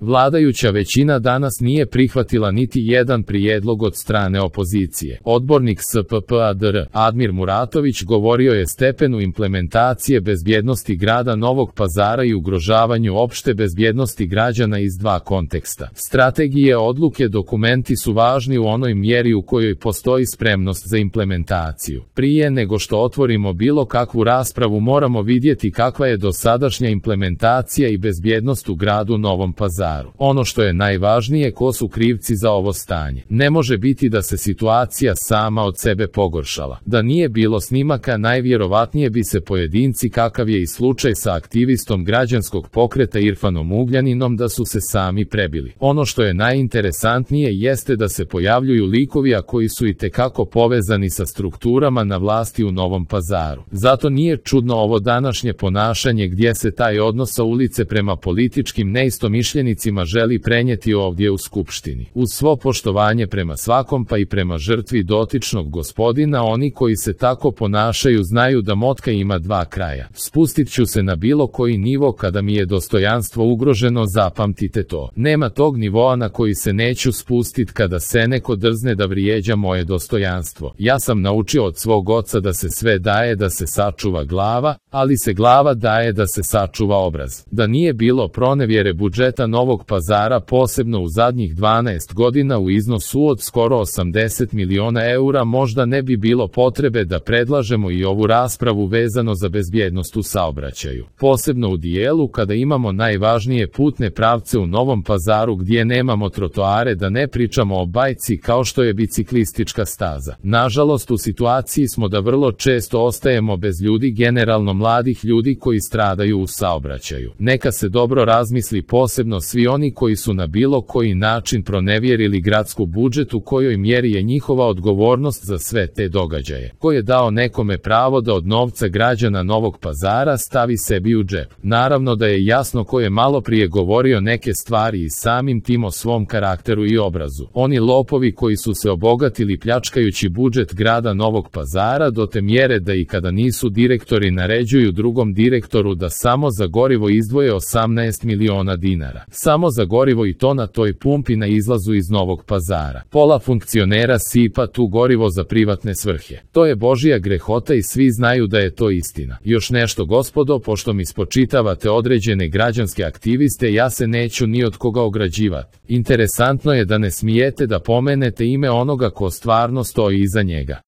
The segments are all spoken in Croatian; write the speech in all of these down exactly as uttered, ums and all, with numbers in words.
Vladajuća većina danas nije prihvatila niti jedan prijedlog od strane opozicije. Odbornik S P P A D R, Admir Muratović, govorio je stepenu implementacije bezbjednosti grada Novog Pazara i ugrožavanju opšte bezbjednosti građana iz dva konteksta. Strategije, odluke, dokumenti su važni u onoj mjeri u kojoj postoji spremnost za implementaciju. Prije nego što otvorimo bilo kakvu raspravu moramo vidjeti kakva je dosadašnja implementacija i bezbjednost u gradu Novom Pazaru. Ono što je najvažnije, ko su krivci za ovo stanje. Ne može biti da se situacija sama od sebe pogoršala. Da nije bilo snimaka, najvjerovatnije bi se pojedinci, kakav je i slučaj sa aktivistom građanskog pokreta Irfanom Ugljaninom, da su se sami prebili. Ono što je najinteresantnije jeste da se pojavljuju likovi, a koji su itekako povezani sa strukturama na vlasti u Novom Pazaru. Zato nije čudno ovo današnje ponašanje gdje se taj odnos sa ulice prema političkim neistomišljenicima želi prenijeti ovdje u Skupštini. Uz svo poštovanje prema svakom, pa i prema žrtvi dotičnog gospodina, oni koji se tako ponašaju znaju da motka ima dva kraja. Spustit ću se na bilo koji nivo kada mi je dostojanstvo ugroženo, zapamtite to. Nema tog nivoa na koji se neću spustit kada se neko drzne da vrijeđa moje dostojanstvo. Ja sam naučio od svog oca da se sve daje da se sačuva glava, ali se glava daje da se sačuva obraz. Da nije bilo pronevjere budžeta Novog Pazara, posebno u zadnjih dvanaest godina u iznosu od skoro osamdeset miliona eura, možda ne bi bilo potrebe da predlažemo i ovu raspravu vezano za bezbjednost u saobraćaju. Posebno u dijelu kada imamo najvažnije putne pravce u Novom Pazaru gdje nemamo trotoare, da ne pričamo o bajci kao što je biciklistička staza. Nažalost, u situaciji smo da vrlo često ostajemo bez ljudi, generalno mladih ljudi koji stradaju u saobraćaju. Neka se dobro razmisli, posebno svi oni koji su na bilo koji način pronevjerili gradsku budžet, u kojoj mjeri je njihova odgovornost za sve te događaje. Ko je dao nekome pravo da od novca građana Novog Pazara stavi sebi u džep? Naravno da je jasno ko je malo prije govorio neke stvari i samim tim o svom karakteru i obrazu. Oni lopovi koji su se obogatili pljačkajući budžet grada Novog Pazara do te mjere da i kada nisu direktori naređuju drugom direktoru da samo za gorivo izdvoje osamnaest miliona dinara. Samo za gorivo, i to na toj pumpi na izlazu iz Novog Pazara. Pola funkcionera sipa tu gorivo za privatne svrhe. To je božija grehota i svi znaju da je to istina. Još nešto, gospodo, pošto mi spočitavate određene građanske aktiviste, ja se neću ni od koga ograđivati. Interesantno je da ne smijete da pomenete ime onoga ko stvarno stoji iza njega.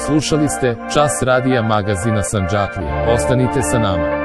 Slušali ste Čas radija magazina Sandžaklija. Ostanite sa nama.